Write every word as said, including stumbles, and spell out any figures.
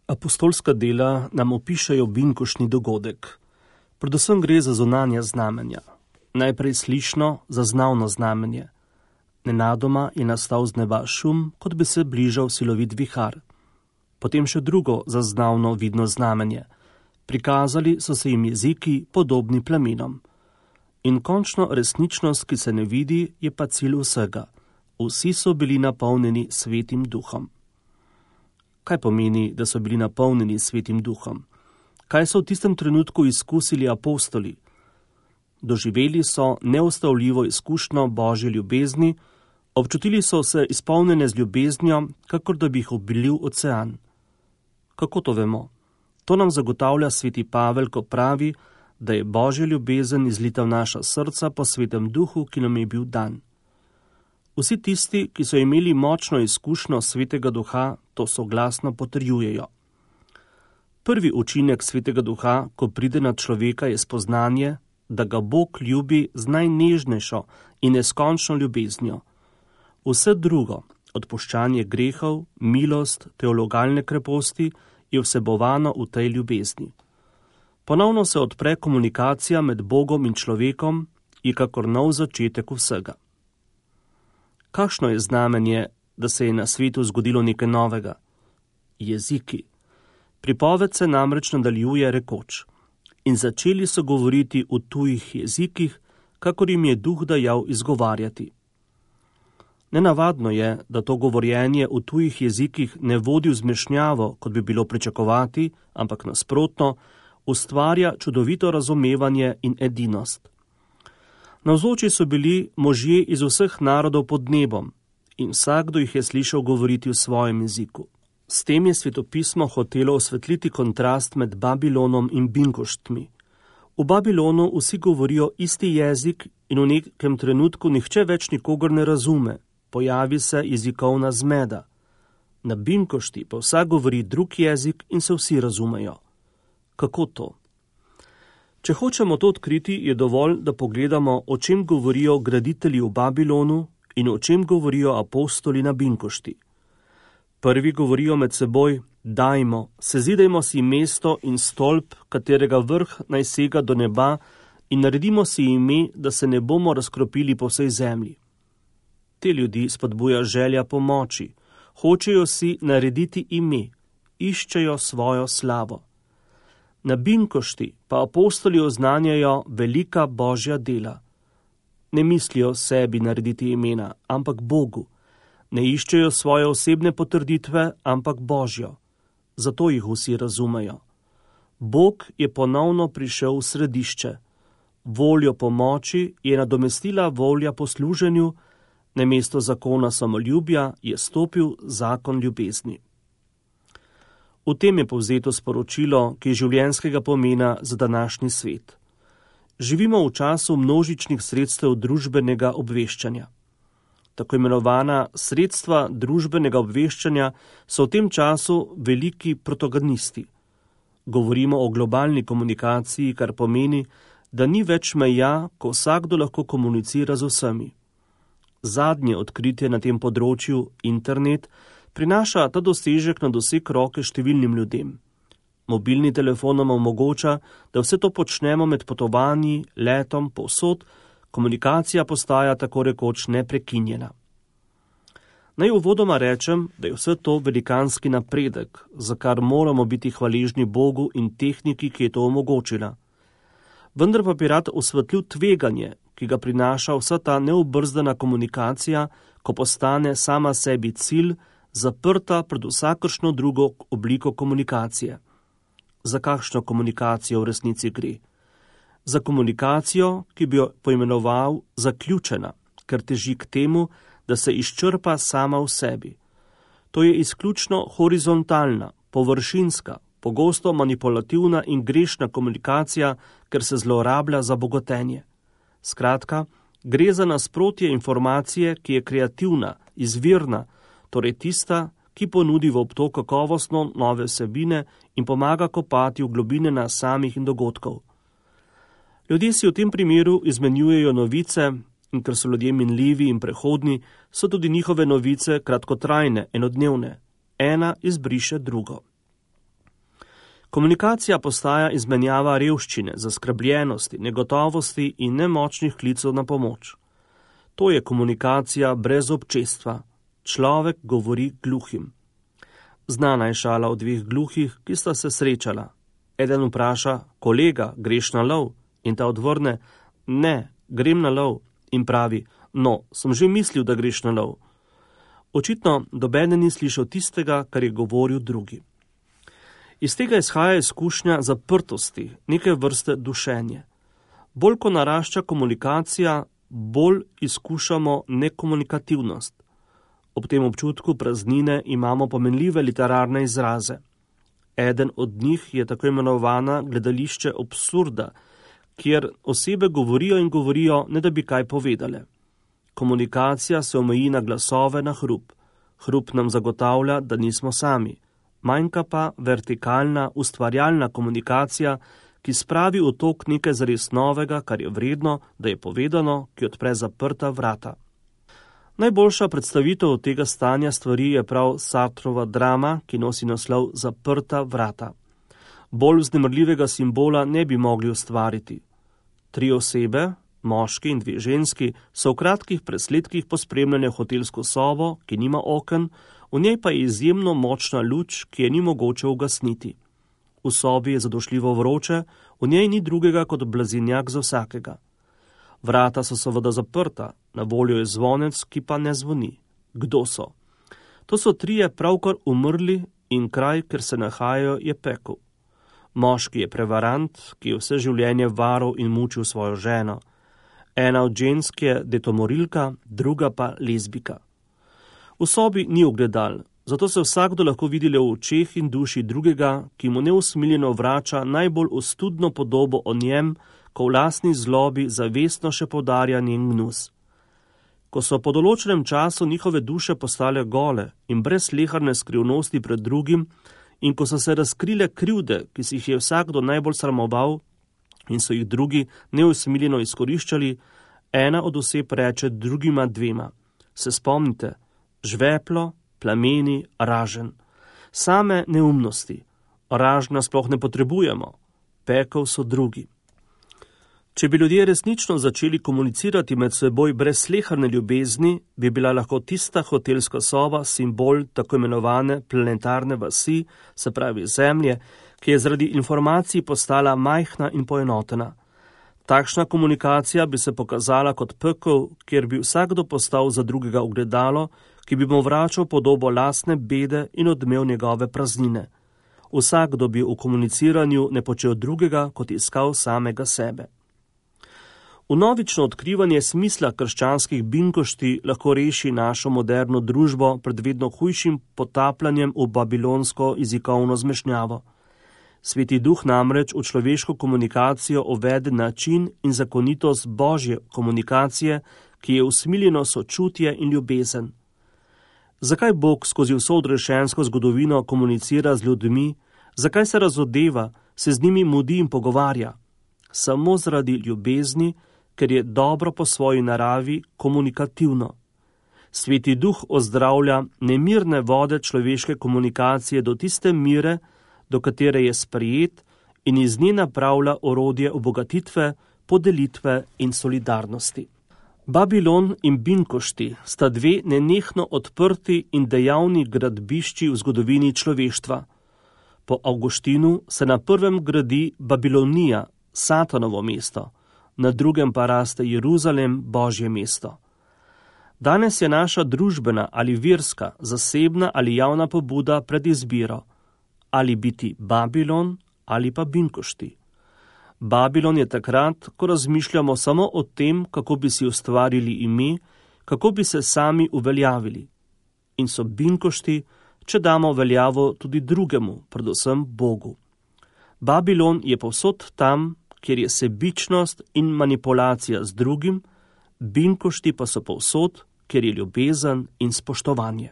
Apostolska dela nam opišajo binkoštni dogodek. Predvsem gre za zunanja znamenja. Najprej slišno, zaznavno znamenje. Nenadoma je nastal z neba šum, kot bi se bližal silovit vihar. Potem še drugo zaznavno vidno znamenje. Prikazali so se jim jeziki, podobni plamenom. In končno resničnost, ki se ne vidi, je pa cilj vsega. Vsi so bili napolnjeni svetim duhom. Kaj pomeni, da so bili napolnjeni svetim duhom? Kaj so v tistem trenutku izkusili apostoli? Doživeli so neustavljivo izkušnjo Božje ljubezni, občutili so se izpolnjene z ljubeznjo, kakor da bi jih obilil ocean. Kako to vemo? To nam zagotavlja sveti Pavel, ko pravi, da je Božja ljubezen izlita v naša srca po svetem duhu, ki nam je bil dan. Vsi tisti, ki so imeli močno izkušnjo svetega duha, to soglasno potrjujejo. Prvi učinek svetega duha, ko pride na človeka, je spoznanje, da ga Bog ljubi z najnežnejšo in neskončno ljubeznjo. Vse drugo, odpuščanje grehov, milost, teologalne kreposti, je vsebovano v tej ljubezni. Ponovno se odpre komunikacija med Bogom in človekom, je kakor nov začetek vsega. Kakšno je znamenje, da se je na svetu zgodilo nekaj novega? Jeziki. Pripoved se namreč nadaljuje rekoč: in začeli so govoriti v tujih jezikih, kakor jim je duh dajal izgovarjati. Nenavadno je, da to govorjenje v tujih jezikih ne vodi v zmešnjavo, kot bi bilo pričakovati, ampak nasprotno, ustvarja čudovito razumevanje in edinost. Navzoči so bili možje iz vseh narodov pod nebom in vsakdo jih je slišal govoriti v svojem jeziku. S tem je svetopismo hotelo osvetliti kontrast med Babilonom in binkoštmi. V Babilonu vsi govorijo isti jezik in v nekem trenutku nihče več nikogar ne razume, pojavi se jezikovna zmeda. Na binkošti pa vsak govori drug jezik in se vsi razumejo. Kako to? Če hočemo to odkriti, je dovolj, da pogledamo, o čem govorijo graditelji v Babilonu in o čem govorijo apostoli na binkošti. Prvi govorijo med seboj: dajmo, sezidajmo si mesto in stolp, katerega vrh naj sega do neba, in naredimo si ime, da se ne bomo razkropili po vsej zemlji. Te ljudi spodbuja želja pomoči, hočejo si narediti ime, iščejo svojo slavo. Na binkošti pa apostoli oznanjajo velika Božja dela. Ne mislijo sebi narediti imena, ampak Bogu. Ne iščejo svoje osebne potrditve, ampak Božjo. Zato jih vsi razumejo. Bog je ponovno prišel v središče. Voljo pomoči je nadomestila volja po služenju, namesto zakona samoljubja je stopil zakon ljubezni. V tem je povzeto sporočilo, ki je življenjskega pomena za današnji svet. Živimo v času množičnih sredstev družbenega obveščanja. Tako imenovana sredstva družbenega obveščanja so v tem času veliki protagonisti. Govorimo o globalni komunikaciji, kar pomeni, da ni več meja, ko vsakdo lahko komunicira z vsemi. Zadnje odkritje na tem področju, internet, prinaša ta dosežek na doseg roke številnim ljudem. Mobilni telefon nam omogoča, da vse to počnemo med potovanji, letom, povsod, komunikacija postaja tako rekoč neprekinjena. Naj uvodoma rečem, da je vse to velikanski napredek, za kar moramo biti hvaležni Bogu in tehniki, ki je to omogočila. Vendar pa bi rad osvetlil tveganje, ki ga prinaša vsa ta neobrzdana komunikacija, ko postane sama sebi cilj, zaprta pred vsakršno drugo obliko komunikacije. Za kakšno komunikacijo v resnici gre? Za komunikacijo, ki bi jo poimenoval zaključena, ker teži k temu, da se izčrpa sama v sebi. To je izključno horizontalna, površinska, pogosto manipulativna in grešna komunikacija, ker se zlorablja za bogatenje. Skratka, gre za nasprotje informacije, ki je kreativna, izvirna, torej tista, ki ponudi v obtok kakovostno nove vsebine in pomaga kopati v globine nas samih in dogodkov. Ljudje si v tem primeru izmenjujejo novice in ker so ljudje minljivi in prehodni, so tudi njihove novice kratkotrajne, enodnevne. Ena izbriše drugo. Komunikacija postaja izmenjava revščine, zaskrbljenosti, negotovosti in nemočnih klicov na pomoč. To je komunikacija brez občestva. Človek govori gluhim. Znana je šala o dveh gluhih, ki sta se srečala. Eden vpraša: kolega, greš na lov? In ta odvrne: ne, grem na lov. In pravi: no, sem že mislil, da greš na lov. Očitno nobeden ni slišal tistega, kar je govoril drugi. Iz tega izhaja izkušnja zaprtosti, neke vrste dušenje. Bolj ko narašča komunikacija, bolj izkušamo nekomunikativnost. Ob tem občutku praznine imamo pomenljive literarne izraze. Eden od njih je tako imenovana gledališče absurda, kjer osebe govorijo in govorijo, ne da bi kaj povedale. Komunikacija se omeji na glasove, na hrup. Hrup nam zagotavlja, da nismo sami. Manjka pa vertikalna, ustvarjalna komunikacija, ki spravi v tok nekaj zares novega, kar je vredno, da je povedano, ki odpre zaprta vrata. Najboljša predstavitev tega stanja stvari je prav Sartrova drama, ki nosi naslov Zaprta vrata. Bolj vznemirljivega simbola ne bi mogli ustvariti. Tri osebe, moški in dve ženski, so v kratkih presledkih pospremljene v hotelsko sobo, ki nima oken, v njej pa je izjemno močna luč, ki je ni mogoče ugasniti. V sobi je zadošljivo vroče, v njej ni drugega kot blazinjak za vsakega. Vrata so seveda zaprta, na voljo je zvonec, ki pa ne zvoni. Kdo so? To so trije pravkar umrli in kraj, kjer se nahajajo, je pekel. Moški je prevarant, ki je vse življenje varal in mučil svojo ženo. Ena od žensk je detomorilka, druga pa lezbika. V sobi ni ogledal, zato se vsakdo lahko vidi le v očeh in duši drugega, ki mu neusmiljeno vrača najbolj ostudno podobo o njem, ko v lastni zlobi zavestno še poudarja njen gnus. Ko so po določenem času njihove duše postale gole in brez sleharne skrivnosti pred drugim, in ko so se razkrile krivde, ki si jih je vsakdo najbolj sramoval in so jih drugi neusmiljeno izkoriščali, ena od oseb reče drugima dvema: se spomnite, žveplo, plameni, ražen. Same neumnosti. Ražna sploh ne potrebujemo. Pekel so drugi. Če bi ljudje resnično začeli komunicirati med seboj brez sleharne ljubezni, bi bila lahko tista hotelska soba simbol tako imenovane planetarne vasi, se pravi Zemlje, ki je zaradi informacij postala majhna in poenotena. Takšna komunikacija bi se pokazala kot pekel, kjer bi vsakdo postal za drugega ogledalo, ki bi mu vračal podobo lastne bede in odmev njegove praznine. Vsakdo bi v komuniciranju ne počel drugega, kot iskal samega sebe. Vnovično odkrivanje smisla krščanskih binkošti lahko reši našo moderno družbo pred vedno hujšim potapljanjem v babilonsko jezikovno zmešnjavo. Sveti duh namreč v človeško komunikacijo uvede način in zakonitost božje komunikacije, ki je usmiljeno sočutje in ljubezen. Zakaj Bog skozi vso odrešensko zgodovino komunicira z ljudmi, zakaj se razodeva, se z njimi mudi in pogovarja? Samo zaradi ljubezni, ker je dobro po svoji naravi komunikativno. Sveti duh ozdravlja nemirne vode človeške komunikacije do tiste mire, do katere je sprejet, in iz nje napravlja orodje obogatitve, podelitve in solidarnosti. Babilon in binkošti sta dve nenehno odprti in dejavni gradbišči v zgodovini človeštva. Po Avguštinu se na prvem gradi Babilonija, Satanovo mesto, na drugem pa raste Jeruzalem, Božje mesto. Danes je naša družbena ali verska, zasebna ali javna pobuda pred izbiro, ali biti Babilon ali pa binkošti. Babilon je takrat, ko razmišljamo samo o tem, kako bi si ustvarili ime, kako bi se sami uveljavili. In so binkošti, če damo veljavo tudi drugemu, predvsem Bogu. Babilon je povsod tam, kjer je sebičnost in manipulacija z drugim, binkošti pa so povsod, kjer je ljubezen in spoštovanje.